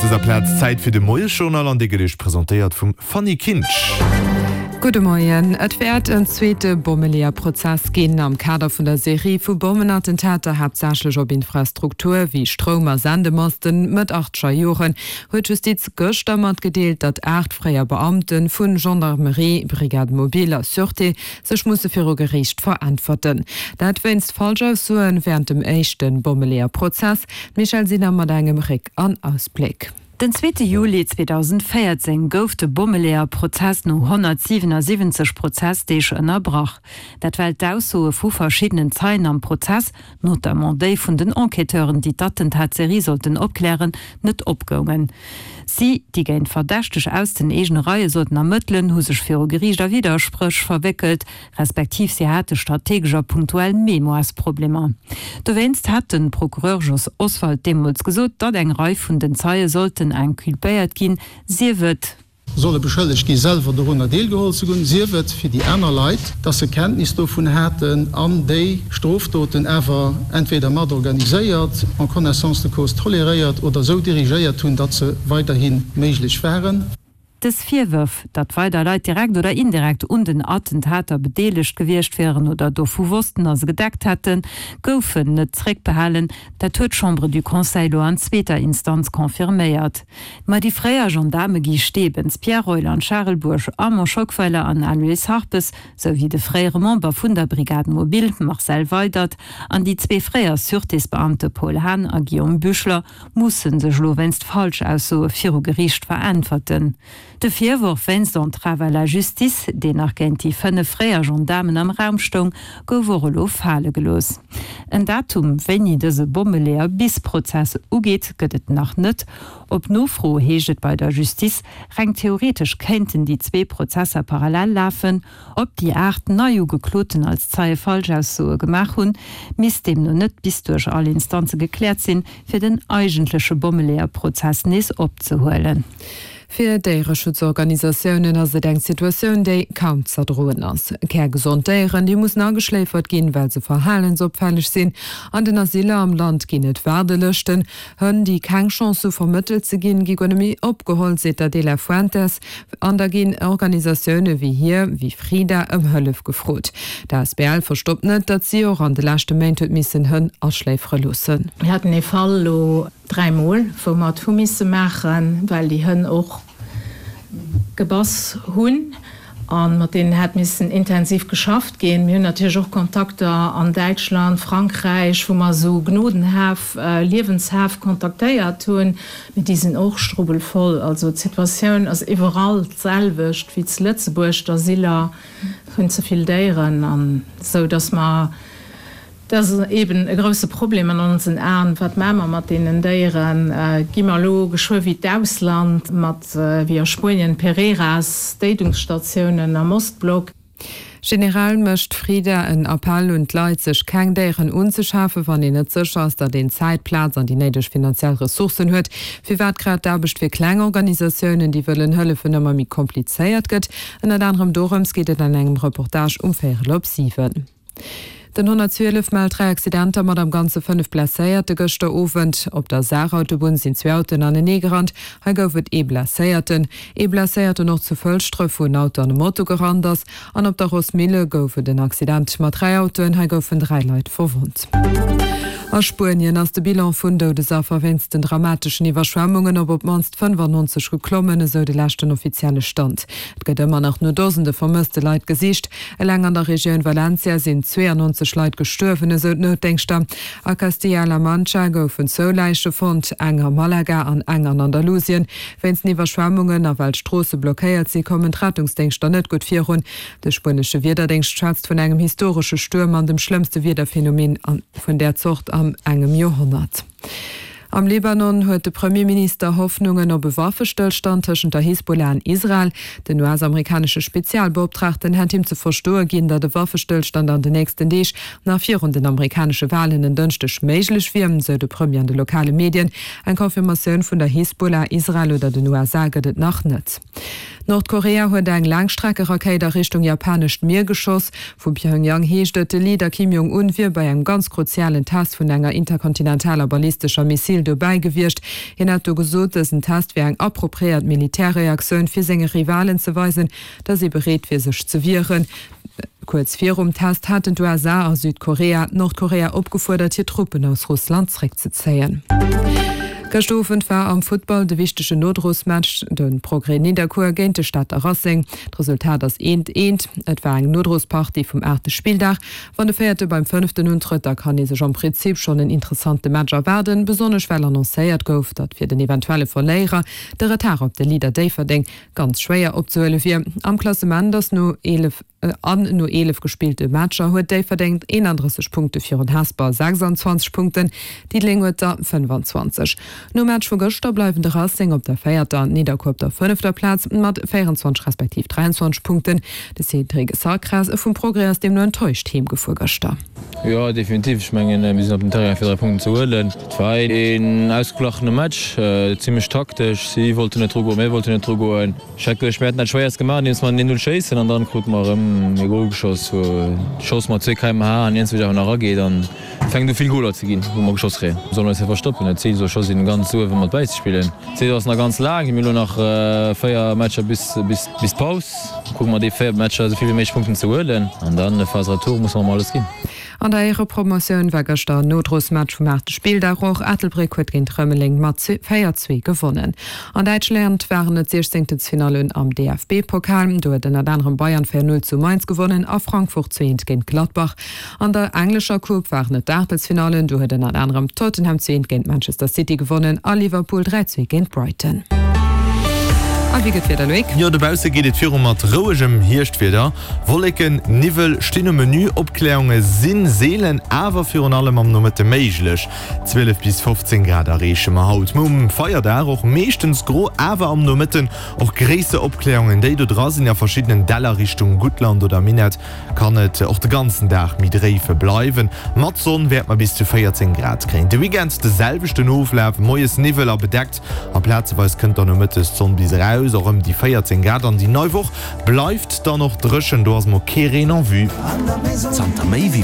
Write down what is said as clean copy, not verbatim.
dëser Plaz Zäit fir de Moiesjournal an dee gëtt Iech presentéiert vum Fanny Kinsch. Gudde Moien. Et wäert en zweete Bommeleeër-Prozess ginn am Kader vun der Serie vu Bommenattentater, haaptsächlech op Infrastruktur wéi Stroum a Sendemasten. Mëtt achteger Joren huet d'Justiz gëschter matgedeelt, datt 8 fréier Beamte vu Gendarmerie, Brigade mobile a Sûreté sech musse viru Geriicht veräntwerten. Dat wéinst Falschaussoe wärend dem éischte Bommeleeër-Prozess. D'Michèle Sinner mat engem Réck an Ausbléck. Den zweete Juli 2014 gouf de Bommeleeër-Prozess no 177 Prozessdeeg ënnerbrach. Dat well d'Aussoe vu verschiddenen Zeien am Prozess, notamment déi vun den Enquêteuren, déi d'Attentatserie sollten opklären, net opgoungen. Si, déi géint Verdächteg aus den eegene Reie sollten ermëttelen, hu sech viru Geriicht a Widderspréch verwéckelt. Respektiv si hate strategesch a punktuell Mémoiresproblemer. Dowéinst hat de Procureur Jos Oswald deemools gesot, datt eng Rei vun den Zeie sollten inculpéiert ginn, sief et, Solle beschëllegt gi selwer dorunner deelgeholl ze hunn, sief et fir déi aner Leit, datt se Kenntnis dovun haten an déi Strofdoten awer entweder mat organiséiert, en connaissance de cause toleréiert oder esou dirigéiert hunn, datt se weiderhi méiglech waren. Dës Virwërf, datt weider Leit direkt oder indirekt un den Attentater bedeelegt gewiescht wieren oder dovu wossten a se gedeckt hätten, goufen net zréckbehalen. Dat huet d'Chambre du Conseil elo an zweeter Instanz confirméiert. Ma déi fréier Gendaarme Guy Stebens, Pierre Reuland, Charel Bourg, Armand Schockweiler an Aloyse Harpes, sou wéi de fréiere Member vun der Brigade mobile Marcel Weydert an déi zwee fréier Sûretésbeamte Paul Haan a Guillaume Büchler, musse sech elo wéinst Falschaussoe viru Geriicht veräntwerten. De Virworf wéinst Entrave à la justice, deen nach géint déi 5 fréier Gendaarmen am Raum stoung, gouf och elo fale gelooss. En Datum, wéini dëse Bommeleeër-bis-Prozess ugeet, gëtt et nach net. Op Nofro heescht et bei der Justice, reng theoretesch kéinten déi zwee Prozesser parallel lafen. Ob déi 8 Neiugekloten als Zeie Falschaussoe gemaach hunn, misst deemno net bis duerch all Instanze gekläert sinn, fir den eigentleche Bommeleeër-Prozess nees opzehuelen. Fir Déiereschutzorganisatiounen ass et eng Situatioun, déi kaum z'erdroen ass. Kärgesond Déieren, déi mussen ageschléifert ginn, well se verhalensopfälleg sinn. An den Asyler am Land ginn et Waardelëschten. Hënn, déi keng Chance hu vermëttelt ze ginn, gi guer net méi opgeholl, seet d'Adela Fuentes. An da ginn Organisatioune wéi hir, wéi Frida, ëm Hëllef gefrot. D'asbl verstoppt net, datt si och an de leschte Méint huet missen Hënn aschléifere loossen. Mir haten ee Fall elo dräimol, wou mer et hu misse maachen, well déi Hënn och gebass hunn a mat deenen hätt missen intensiv geschafft ginn. Mir hunn natierlech och Kontakter an Däitschland, Frankräich, wou mer esou Gnodenhäff, Liewenshäff kontaktéiert hunn. Mee déi sinn och strubbelvoll. Also d'Situatioun ass iwwerall d'selwecht wéi zu Lëtzebuerg, D'Asyler hunn ze vill Déieren an esou, datt mer, dat ass eeben e grousse Problem an onsen Aen, wat maache mer mat deenen Déieren? Gi mer elo geschwë wéi d'Ausland mat, wéi a Spuenien, Pereras, Déidungsstatiounen am Ostblock? Generell mécht d'Frida en Appell un d'Leit, sech keng Déieren unzeschafen, wann een net sécher ass, datt een Zäit, Plaz an déi néideg finanziell Ressourcen huet. Firwat grad d'Aarbecht fir kleng Organisatiounen, déi wëllen hëllefen, ëmmer méi komplizéiert gëtt, ënnert anerem dorëms geet et an engem Reportage um véierel op 7. Den 112 mellt 3 Accidenter mat am Ganze 5 Blesséierte gëschter Owend. Op der Saarautobunn sinn zwee Autoen anenee gerannt. Hei gouf et ee Blesséierten. Ee Blesséierten och zu Fëlschdref, wou en Auto an e Moto gerannt ass. An op der Rossmille gouf et en Accident mat 3 Autoen. Hei goufen 3 Leit verwonnt. A Spuenien ass de Bilan vun Doudesaffer wéinst den dramateschen Iwwerschwemmungen op op d'mannst 95 geklommen, esou de leschten offizielle Stand. Et gëtt ëmmer nach no Dosende vermësste Leit gesicht. Eleng an der Regioun Valencia sinn 92 Leit gestuerwen, esou d'Noutdéngschter. A Castilla-La Mancha goufen zwou Läiche fonnt, eng a Malaga an eng an Andalusien. Wéinst den Iwwerschwemmungen a well d'Stroosse blockéiert si kommen d'Rettungsdéngschter net gutt virun. De spuenesche Wiederdéngscht schwätzt vun engem historesche Stuerm an dem schlëmmste Wiederphenomen vun där Zort an engem Joerhonnert. Am Libanon huet de Premierminister Hoffnungen op e Waffestëllstand tëschent der Hisbollah an Israel. Den US-amerikanesche Spezialbeoptraagten hätt him ze verstoe ginn, datt e Waffestëllstand an den nächsten Deeg nach virun den amerikanesche Walen en Dënschdeg méiglech wier, sou de Premier an de lokale Medien. Eng Confirmatioun vun der Hisbollah, Israel oder den USA gëtt et nach net. Nordkorea huet eng Laangstreckerakéit a Richtung japanescht Mier geschoss. Vu Pjöngjang heescht et, de Leader Kim Jong Un wier bei engem ganz kruzialen Test vun enger interkontinentaler ballistescher Missil dobäi gewiescht. Hien hätt do gesot, dësen Test wier eng appropriéiert Militärreaktioun, fir senge Rivalen ze weisen, datt ee bereet wier sech ze wieren. Kuerz virum Test haten d'USA a Südkorea Nordkorea opgefuerdert, hir Truppen aus Russland zréckzezéien. Gëscht Owend war am Futtball de wichtegen Nodrosmatch, de Progrès Nidderkuer géint de Stater Racing. D'Resultat ass eent, eent. Et war eng Nodrospartie vum aachte Spilldag. Wann de Véierte beim Fënneften untrëtt, da kann ee sech am Prinzip schonn en interessante Match erwaarden, besonnesch well annoncéiert gouf, datt fir den eventuelle Verléierer de Retard op de Leader Déifferdeng ganz schwéier opzehuele wier. Am Klassement ass no 11 an no 11 gespillte Matcher huet Déifferdeng 31 Punkte virun Hesper 26 Punkten, Diddeleng huet der 25. Nom Match vu gëschter bleiwen de Racing op der véierter an d'Nidderkuer op der fënnefter Plaz mat 24 respektiv 23 Punkten. De Cédric Sacras vum Progrès ass deemno enttäuscht heemgefuer gëschter. Jo, definitiv. Ech mengen, mir sinn op den Terrain fir 3 Punkten ze huelen. Et war een ausgeglachene Match, zimmlech taktesch. Si wollten net drugoen, mir wollten net drugoen. Ech hätt geduecht, mir hätten dat Schwéierst gemaach, andeems mer den 1-0 schéissen an dann krute mer erëm e Gol geschoss, wou d'Schoss mat zwee kmh an iergendwéi awer nach erageet an et fänkt u vill Goler ze ginn, wou mer geschoss kréien. Mir sollen eis net verstoppen, dat Zil soll scho sinn, ganz uewe mat bäizespillen. D'Saison ass nach ganz laang, mir hunn elo nach 4 Matcher bis d'Paus. Kucke mer déi 4 Matcher esou vill wéi méiglech Punkten ze huelen an dann Phase Retour musse mer emol alles ginn. An der Éierepromotioun war gëschter en Nodrosmatch vum aachte Spilldag. Och Ettelbréck huet géint Rëmeleng mat 4, 2 gewonnen. An Däitschland waren et d'Siechzéngtelsfinallen am DFB-Pokal. Do huet ënnert anerem Bayern 4, 0 zu Mainz gewonnen a Frankfurt 2, 1 géint Gladbach. An der englescher Coupe waren et d'Aachtelsfinallen, do huet ënnert anerem Tottenham 2 géint Manchester City gewonnen a Liverpool 3, 2 géint Brighton. A wéi gëtt d'Wieder, Loïc? Jo, dobausse geet et viru mat rouegem Hierschtwieder. Wolleken, Niwwel stinn um Menü, Opkläerunge si seelen, awer virun allem am Nomëtte méiglech. 12 bis 15 Grad erreeche mer haut. Um Feierdag och meeschtens gro, awer am Nomëtten och gréisser Opkläerungen. Déi do dra sinn a verschiddenen Däller Richtung Guttland oder Minett. Kann et och de ganzen Dag méi dréife bleiwen. Mat Sonn wäerte mer bis zu 14 Grad kréien. De Weekend de selwechten Oflaf, moies Niwwel a bedeckt a plazeweis kënnt dann nomëttes d'Sonn bis eraus, och ëm déi 14 Grad. An déi nei Woch bleift dann och dréchen, do ass mol kee Reen en vue. Zanter méi wéi.